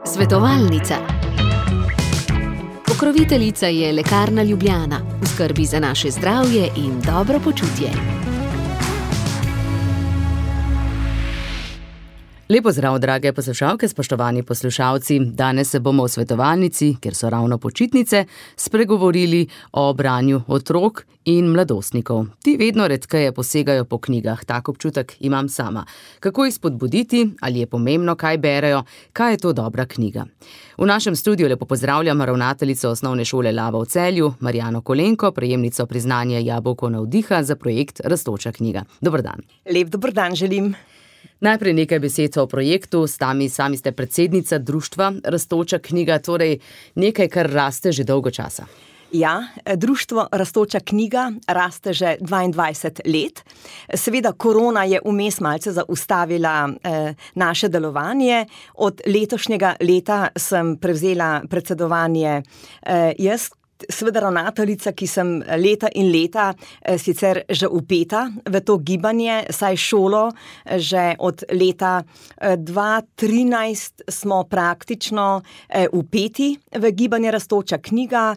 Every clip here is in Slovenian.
Svetovalnica. Pokroviteljica je Lekarna Ljubljana, v skrbi za naše zdravje in dobro počutje. Lepo zdrav, drage poslušalke, spoštovani poslušalci. Danes se bomo v svetovalnici, kjer so ravno počitnice, spregovorili o branju otrok in mladostnikov. Ti vedno redkeje posegajo po knjigah, tak občutek imam sama. Kako jih spodbuditi, ali je pomembno, kaj berejo, kaj je to dobra knjiga? V našem studiu lepo pozdravljam ravnateljico Osnovne šole Lava v Celju, Marjano Kolenko, prejemnico priznanja Jabolko navdiha za projekt Rastoča knjiga. Dober dan. Lep dober dan želim. Najprej nekaj besed o projektu. Sami ste predsednica društva Rastoča knjiga, torej nekaj, kar raste že dolgo časa. Ja, društvo Rastoča knjiga raste že 22 let. Seveda korona je vmes malce zaustavila naše delovanje. Od letošnjega leta sem prevzela predsedovanje jaz, seveda ravnateljica, ki sem leta in leta sicer že vpeta v to gibanje, saj šolo že od leta 2013 smo praktično vpeti v gibanje Rastoča knjiga,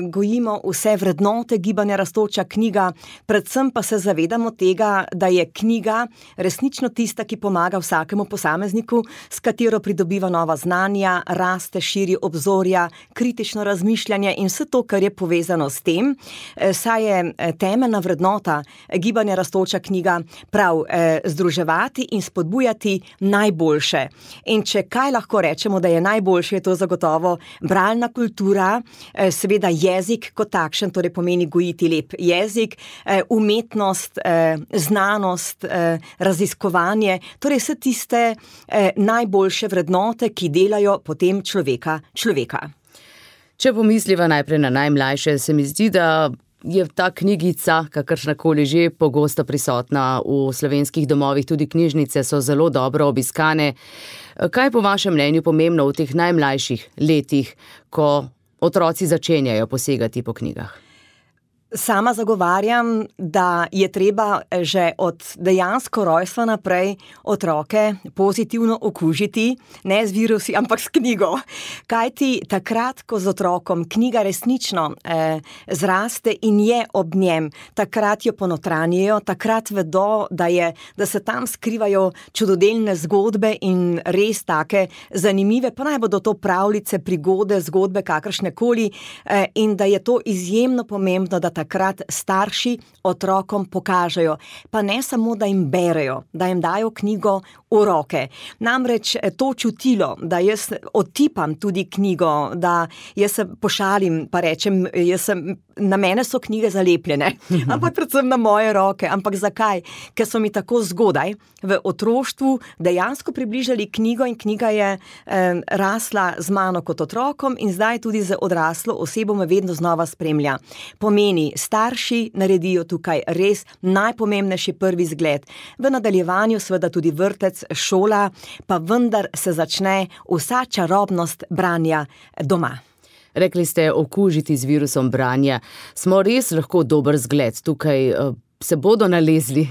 gojimo vse vrednote gibanja Rastoča knjiga, predvsem pa se zavedamo tega, da je knjiga resnično tista, ki pomaga vsakemu posamezniku, s katero pridobiva nova znanja, raste, širi obzorja, kritično razmišljanje in vse to, kar je povezano s tem, saj je temeljna vrednota gibanja Rastoča knjiga prav združevati in spodbujati najboljše. In če kaj lahko rečemo, da je najboljše, je to zagotovo bralna kultura, seveda jezik kot takšen, torej pomeni gojiti lep jezik, umetnost, znanost, raziskovanje, torej vse tiste najboljše vrednote, ki delajo potem človeka. Če pomisliva najprej na najmlajše, se mi zdi, da je ta knjigica, kakršnakoli že, pogosto prisotna v slovenskih domovih, tudi knjižnice so zelo dobro obiskane. Kaj je po vašem mnenju pomembno v teh najmlajših letih, ko otroci začenjajo posegati po knjigah? Sama zagovarjam, da je treba že od dejansko rojstva naprej otroke pozitivno okužiti, ne z virusi, ampak s knjigo. Kajti takrat, ko z otrokom knjiga resnično zraste in je ob njem, takrat jo ponotranjijo, takrat vedo, da se tam skrivajo čudodelne zgodbe in res take zanimive, pa naj bodo to pravljice, prigode, zgodbe, kakršnekoli, in da je to izjemno pomembno, da takrat starši otrokom pokažejo, pa ne samo, da jim berejo, da jim dajo knjigo v roke. Namreč to čutilo, da jaz otipam tudi knjigo, da jaz se pošalim, pa rečem, na mene so knjige zalepljene, ampak predvsem na moje roke. Ampak zakaj? Ker so mi tako zgodaj v otroštvu dejansko približali knjigo in knjiga je rasla z mano kot otrokom in zdaj tudi z odraslo osebo me vedno znova spremlja. Pomeni, starši naredijo tukaj res najpomembnejši prvi zgled. V nadaljevanju seveda tudi vrtec, šola, pa vendar se začne vsa čarobnost branja doma. Rekli ste, okužiti z virusom branja. Smo res lahko dober zgled tukaj? Se bodo nalezli?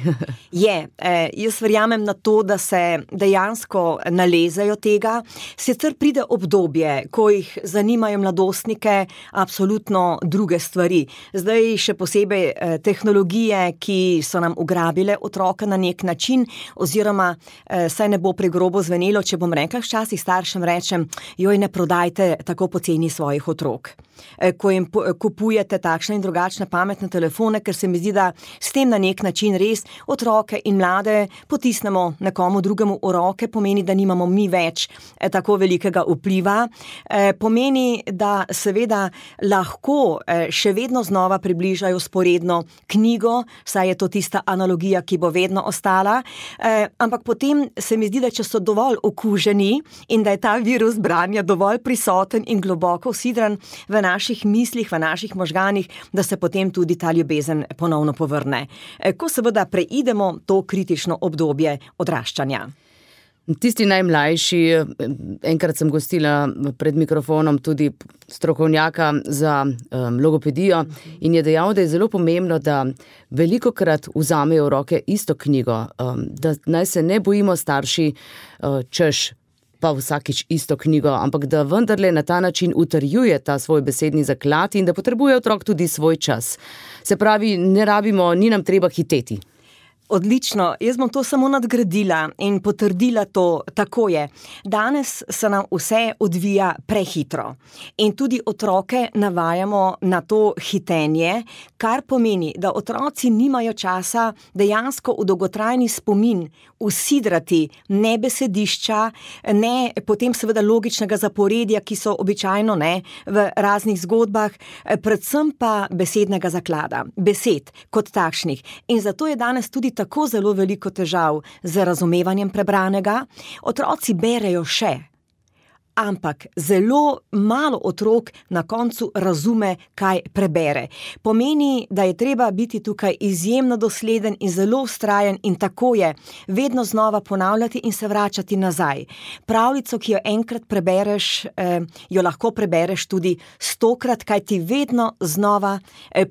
Jaz verjamem na to, da se dejansko nalezajo tega. Sicer pride obdobje, ko jih zanimajo mladostnike absolutno druge stvari. Zdaj še posebej tehnologije, ki so nam ugrabile otroka na nek način, oziroma saj ne bo pregrobo zvenelo, če bom rekla, včasih staršem rečem, joj, ne prodajte tako poceni svojih otrok. Ko jim kupujete takšne in drugačne pametne telefone, ker se mi zdi, da s tem na nek način res otroke in mlade potisnemo nekomu drugemu v roke, pomeni, da nimamo mi več tako velikega vpliva. Pomeni, da seveda lahko še vedno znova približajo sporedno knjigo, saj je to tista analogija, ki bo vedno ostala, ampak potem se mi zdi, da če so dovolj okuženi in da je ta virus branja dovolj prisoten in globoko vsidran v naših mislih, v naših možganih, da se potem tudi ta ljubezen ponovno povrne. Ko seveda preidemo to kritično obdobje odraščanja. Tisti najmlajši, enkrat sem gostila pred mikrofonom tudi strokovnjaka za logopedijo in je dejal, da je zelo pomembno, da velikokrat vzamejo v roke isto knjigo, da naj se ne bojimo starši, češ pa vsakič isto knjigo, ampak da vendarle na ta način utrjuje ta svoj besedni zaklad in da potrebuje otrok tudi svoj čas. Se pravi, ni nam treba hiteti. Odlično, jaz bom to samo nadgradila in potrdila to, tako je. Danes se nam vse odvija prehitro in tudi otroke navajamo na to hitenje, kar pomeni, da otroci nimajo časa dejansko v dolgotrajni spomin usidrati ne besedišča, ne potem seveda logičnega zaporedja, ki so običajno v raznih zgodbah, predvsem pa besednega zaklada, besed kot takšnih. In zato je danes tudi tako zelo veliko težav z razumevanjem prebranega. Otroci berejo še, ampak zelo malo otrok na koncu razume, kaj prebere. Pomeni, da je treba biti tukaj izjemno dosleden in zelo vztrajen in tako je vedno znova ponavljati in se vračati nazaj. Pravljico, ki jo enkrat prebereš, jo lahko prebereš tudi 100-krat, kaj ti vedno znova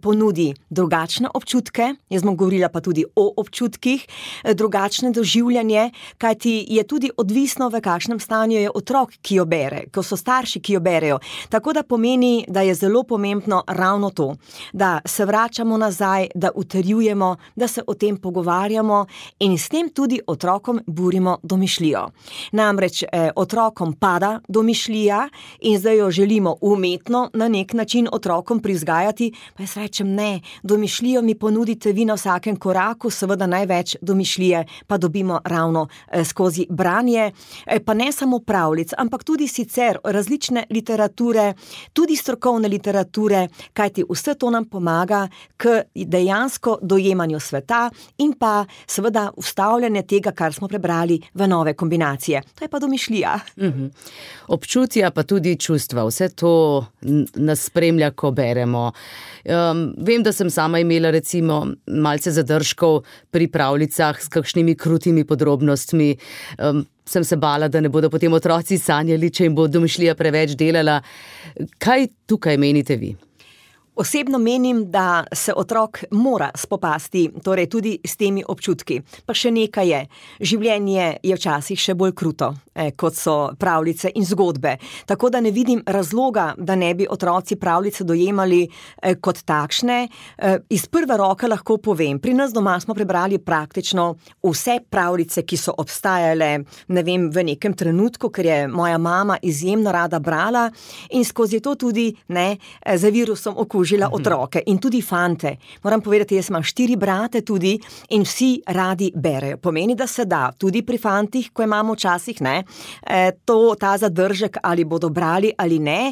ponudi drugačne občutke, jaz bom govorila pa tudi o občutkih, drugačne doživljanje, kaj ti je tudi odvisno, v kakšnem stanju je otrok, ki jo bere, ko so starši, ki jo berejo. Tako da pomeni, da je zelo pomembno ravno to, da se vračamo nazaj, da utrjujemo, da se o tem pogovarjamo in s tem tudi otrokom burimo domišljijo. Namreč otrokom pada domišljija in zdaj jo želimo umetno na nek način otrokom prizgajati, pa jaz rečem ne, domišljijo mi ponudite vi na vsakem koraku, seveda največ domišljije pa dobimo ravno skozi branje, pa ne samo pravljic, ampak tudi sicer različne literature, tudi strokovne literature, kajti vse to nam pomaga k dejansko dojemanju sveta in pa seveda vstavljanje tega, kar smo prebrali v nove kombinacije. To je pa domišljija. Občutja pa tudi čustva, vse to nas spremlja, ko beremo. Vem, da sem sama imela recimo malce zadržkov pri pravljicah s kakšnimi krutimi podrobnostmi. Sem se bala, da ne bodo potem otroci sanjali, če jim bo domišljija preveč delala. Kaj tukaj menite vi? Osebno menim, da se otrok mora spopasti, torej tudi s temi občutki. Pa še nekaj je, življenje je včasih še bolj kruto, kot so pravljice in zgodbe. Tako da ne vidim razloga, da ne bi otroci pravljice dojemali kot takšne. Iz prve roke lahko povem, pri nas doma smo prebrali praktično vse pravljice, ki so obstajale, ne vem, v nekem trenutku, ker je moja mama izjemno rada brala in skozi to tudi za virusom okužila otroke in tudi fante. Moram povedati, jaz imam 4 brate tudi in vsi radi berejo. Pomeni, da se da tudi pri fantih, ko imamo včasih ta zadržek, ali bodo brali ali ne.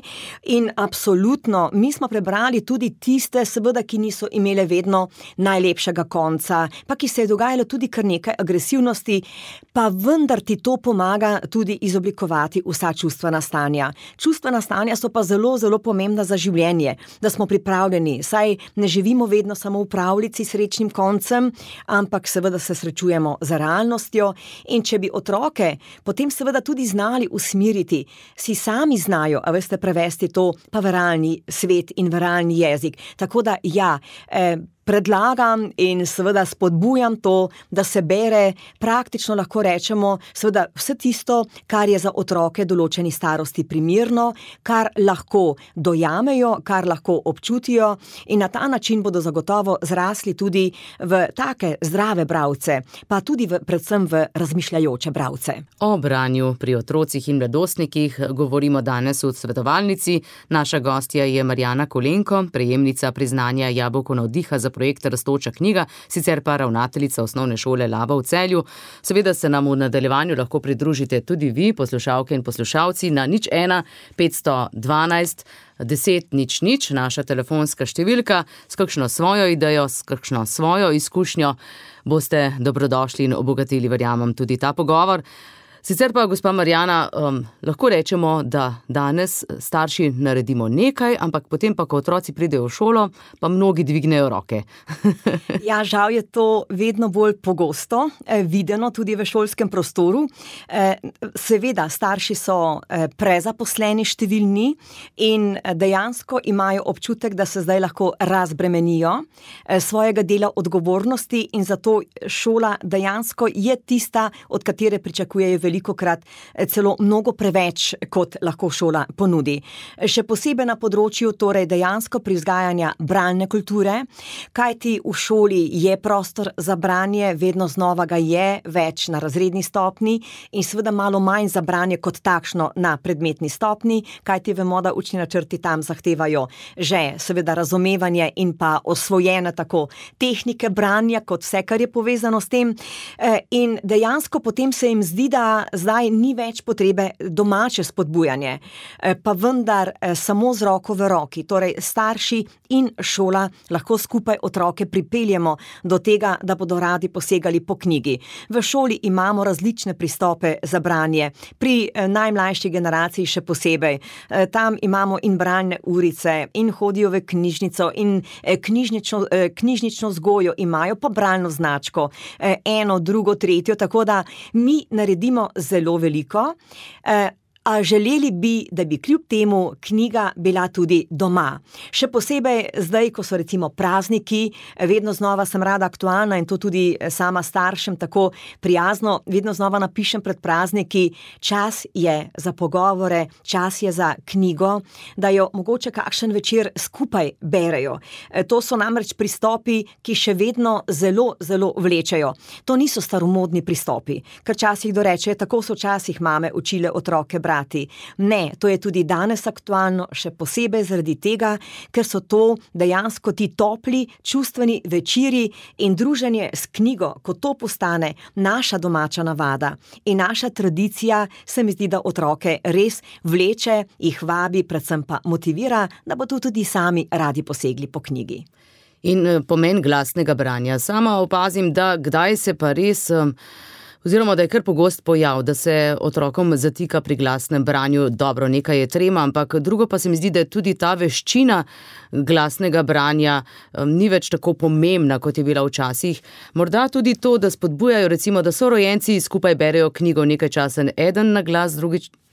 In absolutno, mi smo prebrali tudi tiste, seveda, ki niso imele vedno najlepšega konca, pa ki se je dogajalo tudi kar nekaj agresivnosti, pa vendar ti to pomaga tudi izoblikovati vsa čustvena stanja. Čustvena stanja so pa zelo, zelo pomembna za življenje, da smo pripravljeni, saj ne živimo vedno samo v pravljici s srečnim koncem, ampak seveda se srečujemo z realnostjo in če bi otroke potem seveda tudi znali usmeriti, si sami znajo, a veste, prevesti to pa v realni svet in v realni jezik. Tako da ja, predlagam in seveda spodbujam to, da se bere praktično, lahko rečemo, seveda vse tisto, kar je za otroke določeni starosti primerno, kar lahko dojamejo, kar lahko občutijo in na ta način bodo zagotovo zrasli tudi v take zdrave bralce, pa tudi predvsem v razmišljajoče bralce. O branju pri otrocih in mladostnikih govorimo danes v svetovalnici. Naša gostja je Marjana Kolenko, prejemnica priznanja Jabolko navdiha za projekt Rastoča knjiga, sicer pa ravnateljica osnovne šole Laba v Celju. Seveda se nam v nadaljevanju lahko pridružite tudi vi, poslušalke in poslušalci, na 01 512 10 00, naša telefonska številka, s kakšno svojo idejo, s kakšno svojo izkušnjo boste dobrodošli in obogatili, verjamem, tudi ta pogovor. Sicer pa, gospa Marjana, lahko rečemo, da danes starši naredimo nekaj, ampak potem pa, ko otroci pridejo v šolo, pa mnogi dvignejo roke. Ja, žal je to vedno bolj pogosto videno tudi v šolskem prostoru. Seveda, starši so prezaposleni številni in dejansko imajo občutek, da se zdaj lahko razbremenijo svojega dela odgovornosti in zato šola dejansko je tista, od katere pričakujejo velikokrat celo mnogo preveč, kot lahko šola ponudi. Še posebej na področju torej dejansko privzgajanja bralne kulture, kajti v šoli je prostor za branje, vedno znova ga je, več na razredni stopni in seveda malo manj za branje kot takšno na predmetni stopni, kajti vemo, da učni načrti tam zahtevajo že seveda razumevanje in pa osvojene tako tehnike branja, kot vse, kar je povezano s tem. In dejansko potem se jim zdi, da zdaj ni več potrebe domače spodbujanje, pa vendar samo z roko v roki, torej starši in šola lahko skupaj otroke pripeljemo do tega, da bodo radi posegali po knjigi. V šoli imamo različne pristope za branje, pri najmlajši generaciji še posebej. Tam imamo in bralne urice, in hodijo v knjižnico, in knjižnično vzgojo imajo, pa bralno značko, eno, drugo, tretjo, tako da mi naredimo zelo veliko, a želeli bi, da bi kljub temu knjiga bila tudi doma. Še posebej zdaj, ko so recimo prazniki, vedno znova sem rada aktualna in to tudi sama staršem tako prijazno, vedno znova napišem pred prazniki, čas je za pogovore, čas je za knjigo, da jo mogoče kakšen večer skupaj berejo. To so namreč pristopi, ki še vedno zelo, zelo vlečejo. To niso staromodni pristopi, ker časih dorečejo, tako so včasih mame učile otroke brati. Ne, to je tudi danes aktualno, še posebej zaradi tega, ker so to dejansko ti topli, čustveni večeri in druženje s knjigo, ko to postane naša domača navada in naša tradicija, se mi zdi, da otroke res vleče, jih vabi, predvsem pa motivira, da bodo tudi sami radi posegli po knjigi. In pomen glasnega branja. Sama opazim, da kdaj se pa res... oziroma, da je kar pogost pojav, da se otrokom zatika pri glasnem branju. Dobro, nekaj je trema, ampak drugo pa se mi zdi, da je tudi ta veščina glasnega branja ni več tako pomembna, kot je bila včasih. Morda tudi to, da spodbujajo, recimo, da sorojenci skupaj berejo knjigo nekaj časa eden na glas,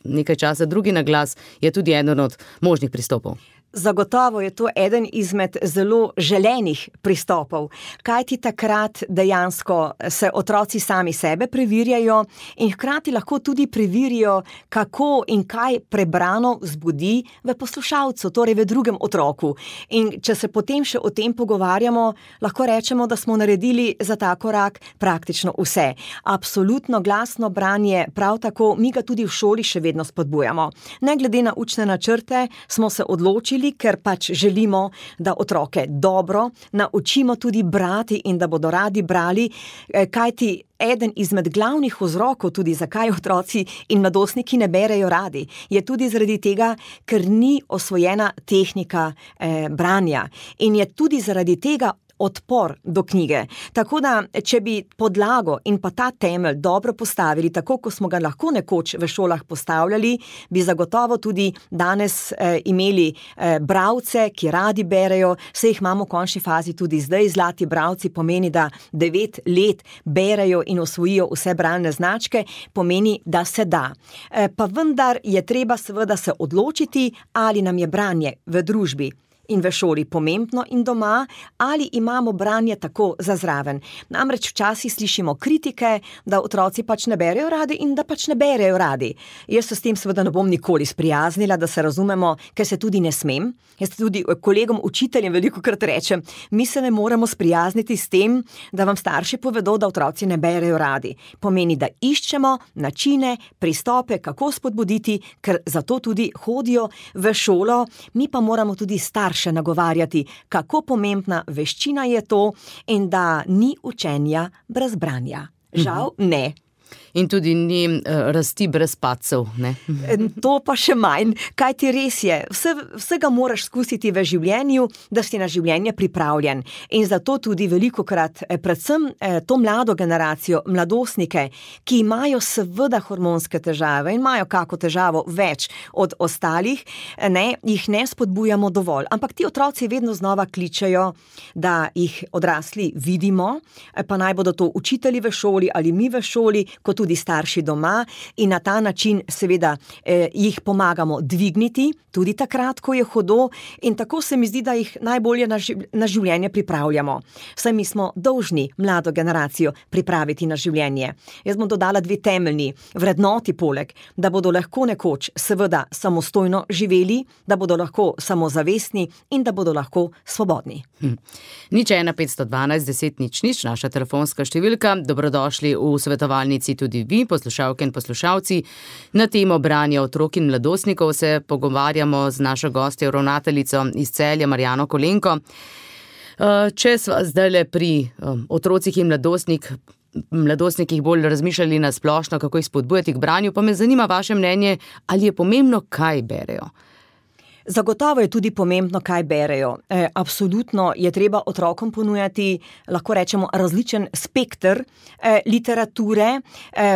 nekaj časa drugi na glas, je tudi eden od možnih pristopov. Zagotovo je to eden izmed zelo želenih pristopov, kajti takrat dejansko se otroci sami sebe preverjajo in hkrati lahko tudi preverijo, kako in kaj prebrano vzbudi v poslušalcu, torej v drugem otroku. In če se potem še o tem pogovarjamo, lahko rečemo, da smo naredili za ta korak praktično vse. Absolutno glasno branje, prav tako mi ga tudi v šoli še vedno spodbujamo. Ne glede na učne načrte smo se odločili, ker pač želimo, da otroke dobro naučimo tudi brati in da bodo radi brali, kajti eden izmed glavnih vzrokov tudi, zakaj otroci in mladostniki ne berejo radi, je tudi zaradi tega, ker ni osvojena tehnika branja in je tudi zaradi tega odpor do knjige. Tako da, če bi podlago in pa ta temelj dobro postavili, tako kot smo ga lahko nekoč v šolah postavljali, bi zagotovo tudi danes imeli bralce, ki radi berejo, saj jih imamo v končni fazi tudi zdaj. Zlati bralci pomeni, da 9 let berejo in osvojijo vse bralne značke, pomeni, da se da. Pa vendar je treba seveda se odločiti, ali nam je branje v družbi in v šoli pomembno in doma, ali imamo branje tako za zraven. Namreč včasih slišimo kritike, da otroci pač ne berejo radi in da pač ne berejo radi. Jaz se s tem seveda ne bom nikoli sprijaznila, da se razumemo, ker se tudi ne smem. Jaz tudi kolegom učiteljem velikokrat rečem, mi se ne moremo sprijazniti s tem, da vam starši povedo, da otroci ne berejo radi. Pomeni, da iščemo načine, pristope, kako spodbuditi, ker zato tudi hodijo v šolo, mi pa moramo tudi starše nagovarjati, kako pomembna veščina je to in da ni učenja brez branja. Žal ne. In tudi ni rasti brez padcev, ne? To pa še manj, kaj ti res je. Vsega moraš skusiti v življenju, da si na življenje pripravljen. In zato tudi velikokrat, predvsem to mlado generacijo, mladostnike, ki imajo seveda hormonske težave in imajo kako težavo več od ostalih, jih ne spodbujamo dovolj. Ampak ti otroci vedno znova kličejo, da jih odrasli vidimo, pa naj bodo to učitelji v šoli ali mi v šoli, kot tudi starši doma, in na ta način seveda jih pomagamo dvigniti, tudi takrat, ko je hudo, in tako se mi zdi, da jih najbolje na življenje pripravljamo. Saj mi smo dolžni mlado generacijo pripraviti na življenje. Jaz bom dodala 2 temeljni vrednoti poleg, da bodo lahko nekoč seveda samostojno živeli, da bodo lahko samozavestni in da bodo lahko svobodni. 01 512 10 00, naša telefonska številka. Dobrodošli v svetovalnici tudi vi, poslušalke in poslušalci. Na temo branja otrok in mladostnikov se pogovarjamo z našo gostjo, ravnateljico iz Celja, Marjano Kolenko. Če sva zdajle pri otrocih in mladostnikih bolj razmišljali na splošno, kako jih spodbujati k branju, pa me zanima vaše mnenje, ali je pomembno, kaj berejo? Zagotovo je tudi pomembno, kaj berejo. Absolutno je treba otrokom ponujati, lahko rečemo, različen spekter literature,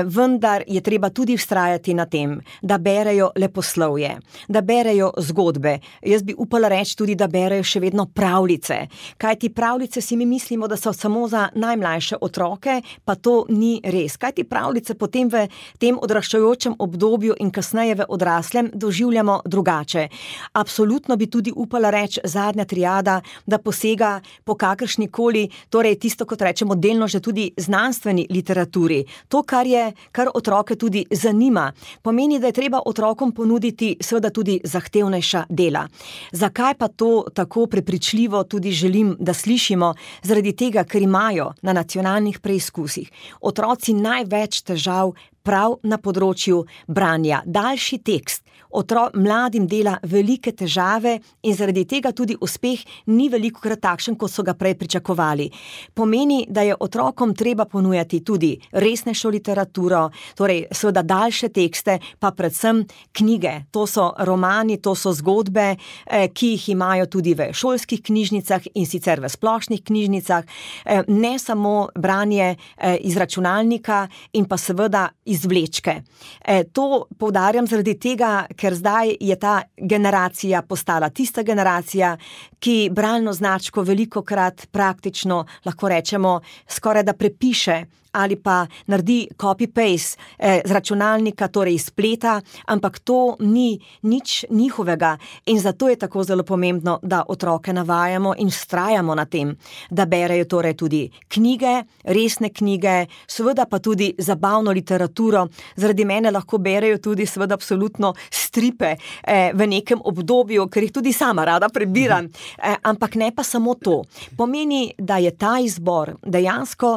vendar je treba tudi vztrajati na tem, da berejo leposlovje, da berejo zgodbe. Jaz bi upala reči tudi, da berejo še vedno pravljice. Kajti pravljice si mi mislimo, da so samo za najmlajše otroke, pa to ni res. Kajti pravljice potem v tem odraščajočem obdobju in kasneje v odraslem doživljamo drugače. Absolutno bi tudi upala reči zadnja triada, da posega po kakršnikoli, torej tisto, kot rečemo, delno že tudi znanstveni literaturi. To, kar otroke tudi zanima, pomeni, da je treba otrokom ponuditi seveda tudi zahtevnejša dela. Zakaj pa to tako prepričljivo tudi želim, da slišimo? Zaradi tega, ker imajo na nacionalnih preizkusih otroci največ težav prav na področju branja. Daljši tekst mladim dela velike težave in zaradi tega tudi uspeh ni velikokrat takšen, kot so ga prej pričakovali. Pomeni, da je otrokom treba ponujati tudi resnejšo literaturo, torej seveda daljše tekste, pa predvsem knjige. To so romani, to so zgodbe, ki jih imajo tudi v šolskih knjižnicah in sicer v splošnih knjižnicah. Ne samo branje iz računalnika in pa seveda iz vlečke. To poudarjam zaradi tega, ker zdaj je ta generacija postala tista generacija, ki bralno značko velikokrat praktično, lahko rečemo, skoraj da prepiše ali pa naredi copy-paste z računalnika, torej iz spleta, ampak to ni nič njihovega in zato je tako zelo pomembno, da otroke navajamo in vztrajamo na tem, da berejo torej tudi knjige, resne knjige, seveda pa tudi zabavno literaturo. Zaradi mene lahko berejo tudi seveda absolutno stripe v nekem obdobju, ker jih tudi sama rada prebiram, ampak ne pa samo to. Pomeni, da je ta izbor dejansko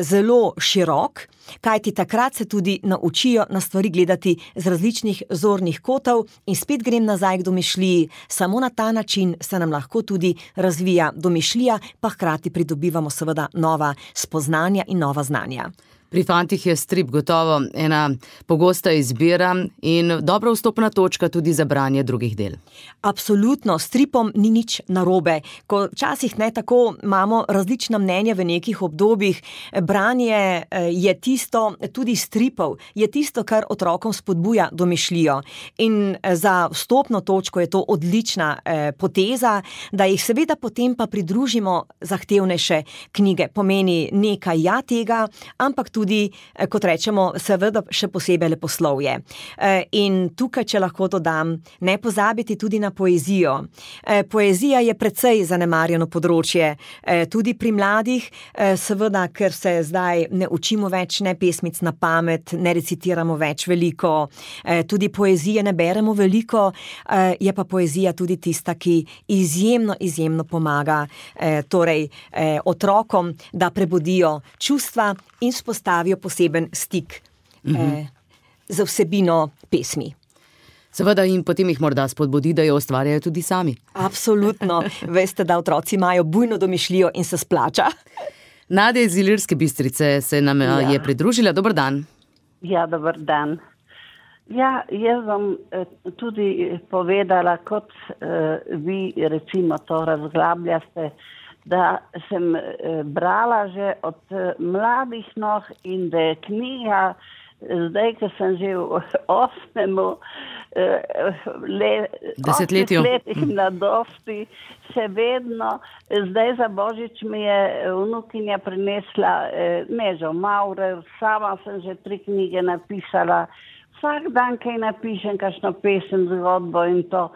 zelo širok, kajti takrat se tudi naučijo na stvari gledati z različnih zornih kotov in spet grem nazaj k domišljiji. Samo na ta način se nam lahko tudi razvija domišljija, pa hkrati pridobivamo seveda nova spoznanja in nova znanja. Pri fantih je strip gotovo ena pogosta izbira in dobra vstopna točka tudi za branje drugih del. Absolutno, stripom ni nič narobe. Ko včasih ne tako imamo različna mnenja v nekih obdobjih, branje je tisto, tudi stripov, je tisto, kar otrokom spodbuja domišljijo. In za vstopno točko je to odlična poteza, da jih seveda potem pa pridružimo zahtevnejše knjige. Pomeni nekaj tega, ampak tudi, kot rečemo, seveda še posebej leposlovje. In tukaj, če lahko dodam, ne pozabiti tudi na poezijo. Poezija je precej zanemarjeno področje, tudi pri mladih, seveda, ker se zdaj ne učimo več ne pesmic na pamet, ne recitiramo več veliko, tudi poezije ne beremo veliko, je pa poezija tudi tista, ki izjemno pomaga torej otrokom, da prebudijo čustva in spostavijo poseben stik z vsebino pesmi. Seveda in potem jih morda spodbudi, da jo ustvarjajo tudi sami. Absolutno. Veste, da otroci imajo bujno domišljijo in se splača. Nadja iz Ilirske Bistrice se nam je pridružila. Dober dan. Ja, dober dan. Ja, jaz bom tudi povedala, kot vi recimo to razglabljaste, da sem brala že od mladih nog in da je knjiga, zdaj, ko sem že v 8. desetletju mladosti, še vedno, zdaj za Božič mi je vnukinja prinesla Nežo Maurer, sama sem že 3 knjige napisala, vsak dan kaj napišem, kakšno pesem, zgodbo in to.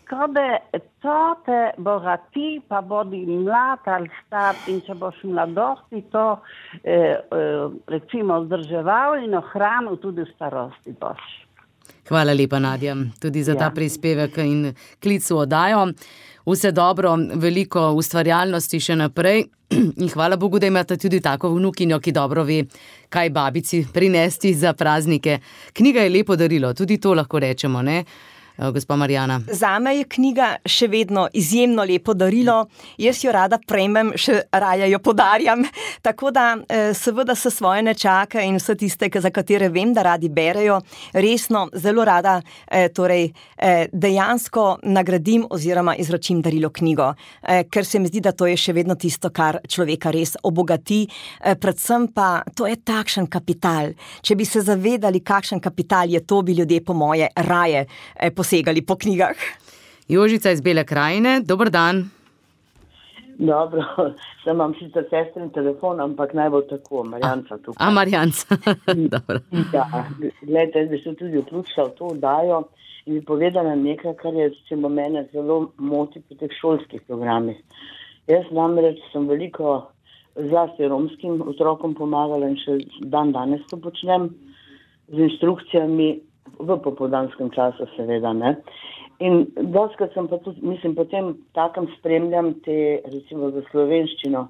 Ko da to te bogati, pa bodi mlad ali star in če boš mladosti to recimo vzdrževal in ohranil tudi v starosti boš. Hvala lepa, Nadja, tudi za ta prispevek in klic v oddajo. Vse dobro, veliko ustvarjalnosti še naprej in hvala Bogu, da imate tudi tako vnukinjo, ki dobro ve, kaj babici prinesti za praznike. Knjiga je lepo darilo, tudi to lahko rečemo, ne? Gospa Marjana. Zame je knjiga še vedno izjemno lepo darilo, jaz jo rada prejmem, še raje jo podarjam, tako da seveda se svoje nečake in vse tiste, za katere vem, da radi berejo, resno, zelo rada dejansko nagradim oziroma izročim darilo knjigo, ker se mi zdi, da to je še vedno tisto, kar človeka res obogati, predvsem pa to je takšen kapital. Če bi se zavedali, kakšen kapital je to, bi ljudje po moje raje posegali po knjigah. Jožica iz Bele krajine, dober dan. Dobro, sem imam sicer sestrin telefon, ampak naj bo tako, Marjanca tukaj. Marjanca, dobro. Ja, gledajte, da se tudi vključila v to oddajo in bi povedala nekaj, kar je recimo mene zelo moti pri teh šolskih programih. Jaz namreč sem veliko zlasti romskim otrokom pomagala in še dan danes to počnem z inštrukcijami v popoldanskem času seveda, ne. In dostikrat sem pa tudi, potem takem spremljam te, recimo za slovenščino,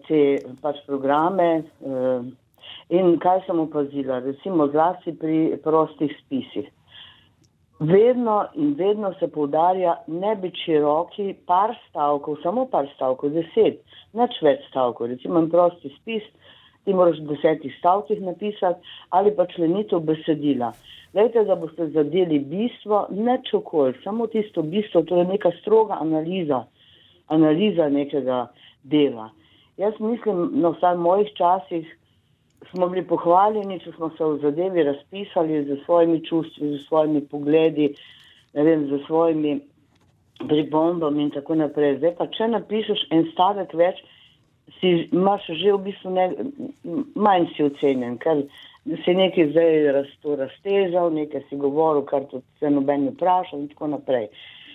te pač programe in kaj sem opazila, recimo zlasti pri prostih spisih. Vedno se poudarja ne biti široki, par stavkov, samo par stavkov, 10, nič več stavkov, recimo prosti spis, ti moraš v 10 stavkih napisati ali pa členitev besedila. Glejte, da boste zadeli bistvo, nič okoli, samo tisto bistvo, to je neka stroga analiza nekega dela. Jaz mislim, vsaj v mojih časih smo bili pohvaljeni, če smo se v zadevi razpisali z svojimi čustvi, z svojimi pogledi, ne vem, z svojimi pripombami in tako naprej. Zdaj pa, če napišeš en stavek več, imaš že v bistvu manj si ocenjen, ker si nekaj zdaj raztežal, nekaj si govoril, kar tudi se noben vprašal in tako naprej.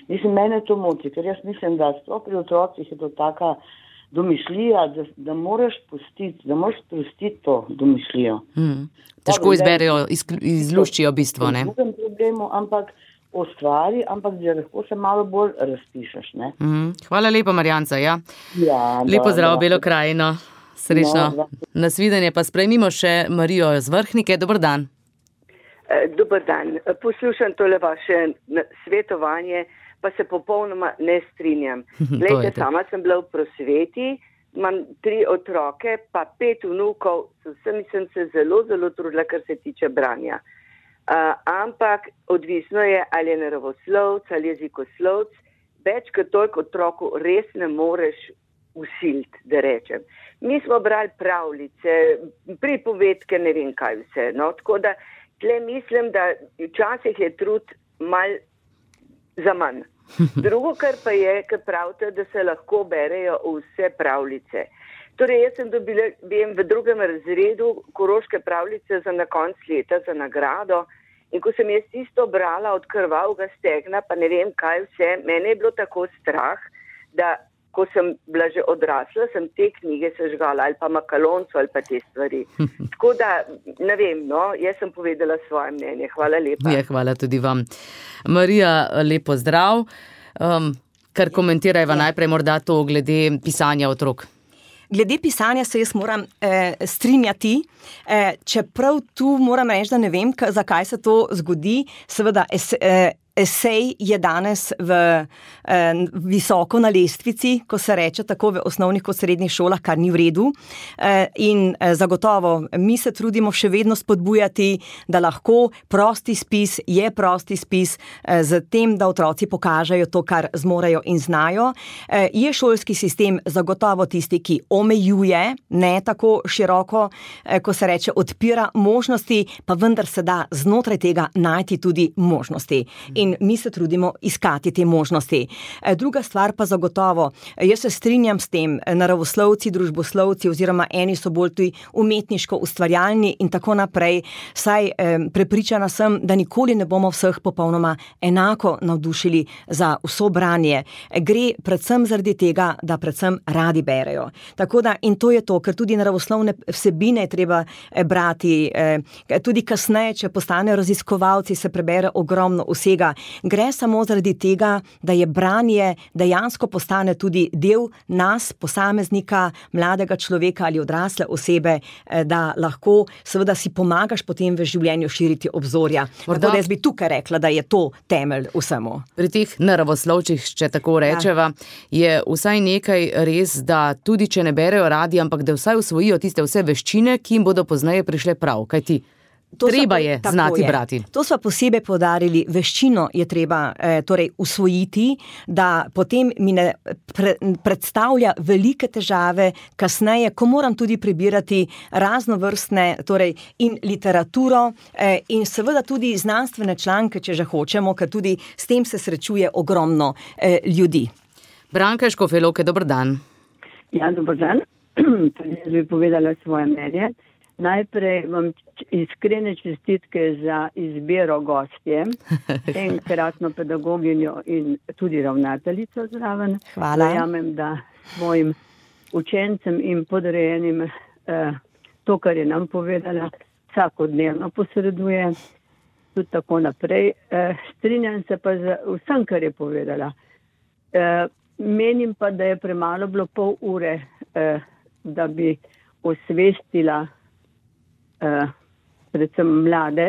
Mislim, mene to moti, ker jaz mislim, da sploh pri otrocih je to taka domišljija, da moraš sprostiti to domišljijo. Težko izberejo, izluščijo bistvo, ne? V drugem problemu, ampak o stvari, ampak da lahko se malo bolj razpišeš, ne? Hvala lepa, Marjanca, ja. Ja, lepo zdrav, Belo krajino. Srečno. Nasvidenje pa sprejmimo še Marijo z Vrhnike. Dober dan. Dober dan. Poslušam tole vaše svetovanje, pa se popolnoma ne strinjam. Glejte, sama sem bila v prosveti, imam 3 otroke, pa 5 vnukov, sem se zelo, zelo trudila, kar se tiče branja. Ampak odvisno je, ali je naravoslovc ali jezikoslovc, več kot toliko otroku res ne moreš usiliti, da rečem. Mi smo brali pravljice, pripovedke, ne vem kaj vse. No? Tako da tle mislim, da včasih je trud mal za manj. Drugo, kar pa je, kar pravite, da se lahko berejo vse pravljice. Torej, jaz sem dobila, vem, v 2. razredu koroške pravljice za na konc leta, za nagrado. In ko sem jaz tisto brala od krvavega stegna, pa ne vem kaj vse, mene je bilo tako strah, da ko sem bila že odrasla, sem te knjige sežgala, ali pa makalonco, ali pa te stvari. Tako da, ne vem, no, jaz sem povedala svoje mnenje. Hvala lepa. Ja, hvala tudi vam. Marija, lepo zdrav. Kar komentirajva najprej morda to glede pisanja otrok. Glede pisanja se jaz moram strinjati, čeprav tu moram reči, da ne vem, zakaj se to zgodi. Seveda esej je danes visoko na lestvici, ko se reče tako v osnovnih kot srednjih šolah, kar ni v redu. In zagotovo mi se trudimo še vedno spodbujati, da lahko prosti spis je prosti spis z tem, da otroci pokažejo to, kar zmorejo in znajo. Je šolski sistem zagotovo tisti, ki omejuje, ne tako široko, ko se reče odpira možnosti, pa vendar se da znotraj tega najti tudi možnosti. In mi se trudimo iskati te možnosti. Druga stvar pa zagotovo, jaz se strinjam s tem, naravoslovci, družboslovci oziroma eni so bolj tudi umetniško ustvarjalni in tako naprej, saj prepričana sem, da nikoli ne bomo vseh popolnoma enako navdušili za vso branje. Gre predvsem zaradi tega, da predvsem radi berejo. Tako da, in to je to, ker tudi naravoslovne vsebine je treba brati, tudi kasneje, če postanejo raziskovalci, se prebere ogromno vsega. Gre samo zaradi tega, da je branje dejansko postane tudi del nas, posameznika, mladega človeka ali odrasle osebe, da lahko seveda si pomagaš potem v življenju širiti obzorja. Tako da jaz bi tukaj rekla, da je to temelj vsemu. Pri teh naravoslovčih, če tako rečeva, je vsaj nekaj res, da tudi če ne berejo radi, ampak da vsaj usvojijo tiste vse veščine, ki jim bodo pozneje prišle prav, kajti treba je znati brati. To smo posebej poudarili, veščino je treba torej usvojiti, da potem mi ne predstavlja velike težave kasneje, ko moram tudi prebirati raznovrstne, torej in literaturo in seveda tudi znanstvene članke, če že hočemo, ker tudi s tem se srečuje ogromno ljudi. Branka Škofje-Loke, dober dan. Ja, dober dan. Tudi jaz bi povedala svoje mnenje. Najprej vam iskrene čestitke za izbiro gostje, enkratno pedagoginjo in tudi ravnateljico zraven. Hvala. Verjamem, da mojim učencem in podrejenim to, kar je nam povedala, vsakodnevno posreduje, tudi tako naprej. Strinjam se pa z vsem, kar je povedala. Menim pa, da je premalo bilo pol ure, da bi osvestila predvsem mlade,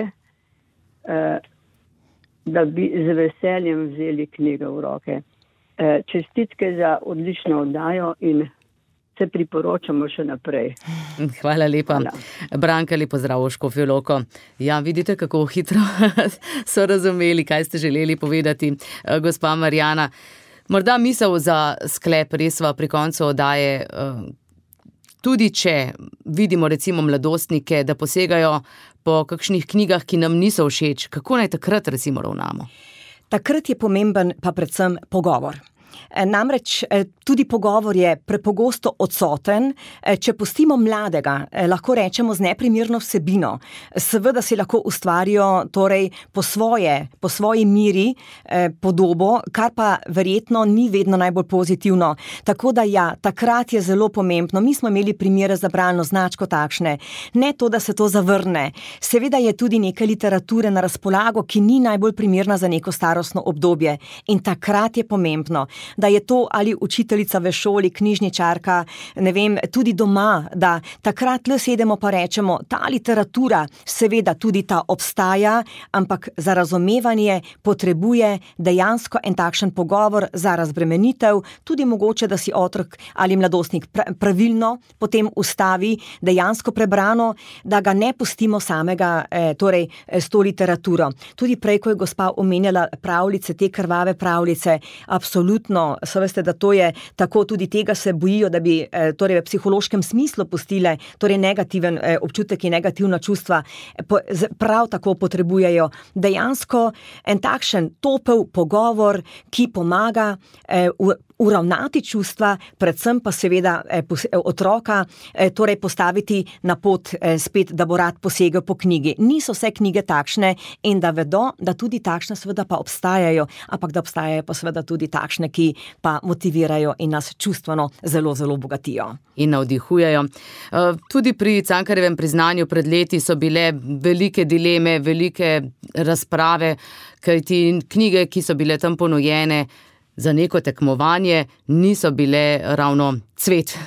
da bi z veseljem vzeli knjigo v roke. Čestitke za odlično oddajo in se priporočamo še naprej. Hvala lepa. Hvala. Branka, lep pozdrav v Škofjo Loko. Ja, vidite, kako hitro so razumeli, kaj ste želeli povedati. Gospa Marjana, morda misel za sklep resva pri koncu oddaje, tudi če vidimo recimo mladostnike, da posegajo po kakšnih knjigah, ki nam niso všeč, kako naj takrat recimo ravnamo? Takrat je pomemben pa predvsem pogovor. Namreč tudi pogovor je prepogosto odsoten, če pustimo mladega, lahko rečemo z neprimerno vsebino, seveda si lahko ustvarijo torej po svoji miri podobo, kar pa verjetno ni vedno najbolj pozitivno. Tako da ja, takrat je zelo pomembno. Mi smo imeli primere za bralno značko takšne. Ne to, da se to zavrne. Seveda je tudi nekaj literature na razpolago, ki ni najbolj primerna za neko starostno obdobje. In takrat je pomembno, da je to ali učiteljica v šoli, knjižničarka, ne vem, tudi doma, da takrat le sedemo pa rečemo, ta literatura seveda tudi ta obstaja, ampak za razumevanje potrebuje dejansko en takšen pogovor za razbremenitev, tudi mogoče, da si otrok ali mladostnik pravilno potem ustavi, dejansko prebrano, da ga ne pustimo samega torej s to literaturo. Tudi prej, ko je gospa omenjala pravljice, te krvave pravljice, absolutno, so veste, da to je tako, tudi tega se bojijo, da bi torej v psihološkem smislu pustile torej negativen občutek in negativna čustva, prav tako potrebujejo dejansko en takšen topel pogovor, ki pomaga uravnati čustva, predvsem pa seveda otroka torej postaviti na pot spet, da bo rad posegel po knjigi. Niso vse knjige takšne in da vedo, da tudi takšne seveda pa obstajajo, ampak da obstajajo pa seveda tudi takšne, ki pa motivirajo in nas čustveno zelo, zelo bogatijo. In navdihujejo. Tudi pri Cankarjevem priznanju pred leti so bile velike dileme, velike razprave, kajti knjige, ki so bile tam ponujene za neko tekmovanje, niso bile ravno cvet.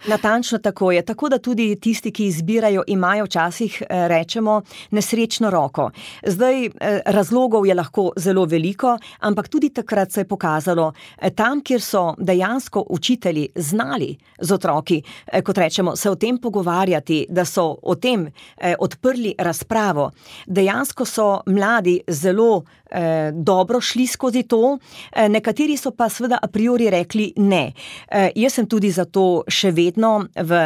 Natančno tako je. Tako da tudi tisti, ki izbirajo, imajo včasih, rečemo, nesrečno roko. Zdaj, razlogov je lahko zelo veliko, ampak tudi takrat se je pokazalo, tam, kjer so dejansko učitelji znali z otroki, kot rečemo, se o tem pogovarjati, da so o tem odprli razpravo. Dejansko so mladi zelo dobro šli skozi to, nekateri so pa seveda a priori rekli ne. Jaz sem tudi zato še vedno v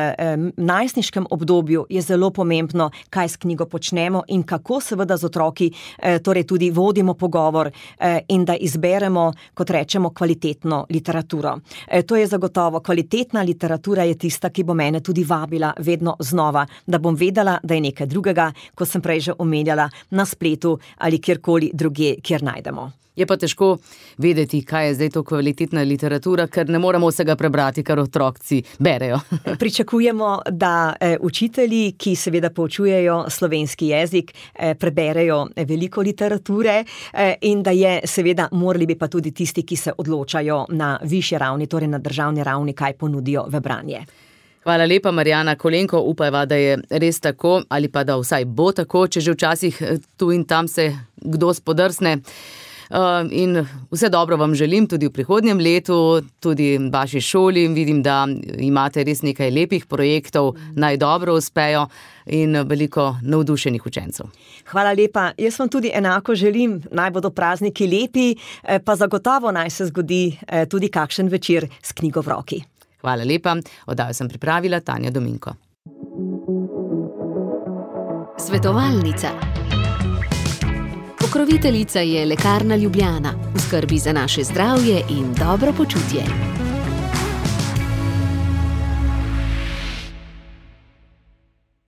najstniškem obdobju je zelo pomembno, kaj s knjigo počnemo in kako seveda z otroki torej tudi vodimo pogovor in da izberemo, kot rečemo, kvalitetno literaturo. To je zagotovo, kvalitetna literatura je tista, ki bo mene tudi vabila vedno znova, da bom vedela, da je nekaj drugega, kot sem prej že omenjala, na spletu ali kjerkoli drugje, kjer najdemo. Je pa težko vedeti, kaj je zdaj to kvalitetna literatura, ker ne moramo vsega prebrati, kar otroci berejo. Pričakujemo, da učitelji, ki seveda poučujejo slovenski jezik, preberejo veliko literature in da je seveda morali bi pa tudi tisti, ki se odločajo na višji ravni, torej na državni ravni, kaj ponudijo v branje. Hvala lepa, Marjana Kolenko. Upajva, da je res tako, ali pa da vsaj bo tako, če že včasih tu in tam se kdo spodrsne. In vse dobro vam želim tudi v prihodnjem letu, tudi vaši šoli. Vidim, da imate res nekaj lepih projektov, naj dobro uspejo in veliko navdušenih učencev. Hvala lepa. Jaz vam tudi enako želim, naj bodo prazniki lepi, pa zagotovo naj se zgodi tudi kakšen večer s knjigo v roki. Hvala lepa. Oddajo sem pripravila Tanja Dominko. Svetovalnica. Pokroviteljica je Lekarna Ljubljana, v skrbi za naše zdravje in dobro počutje.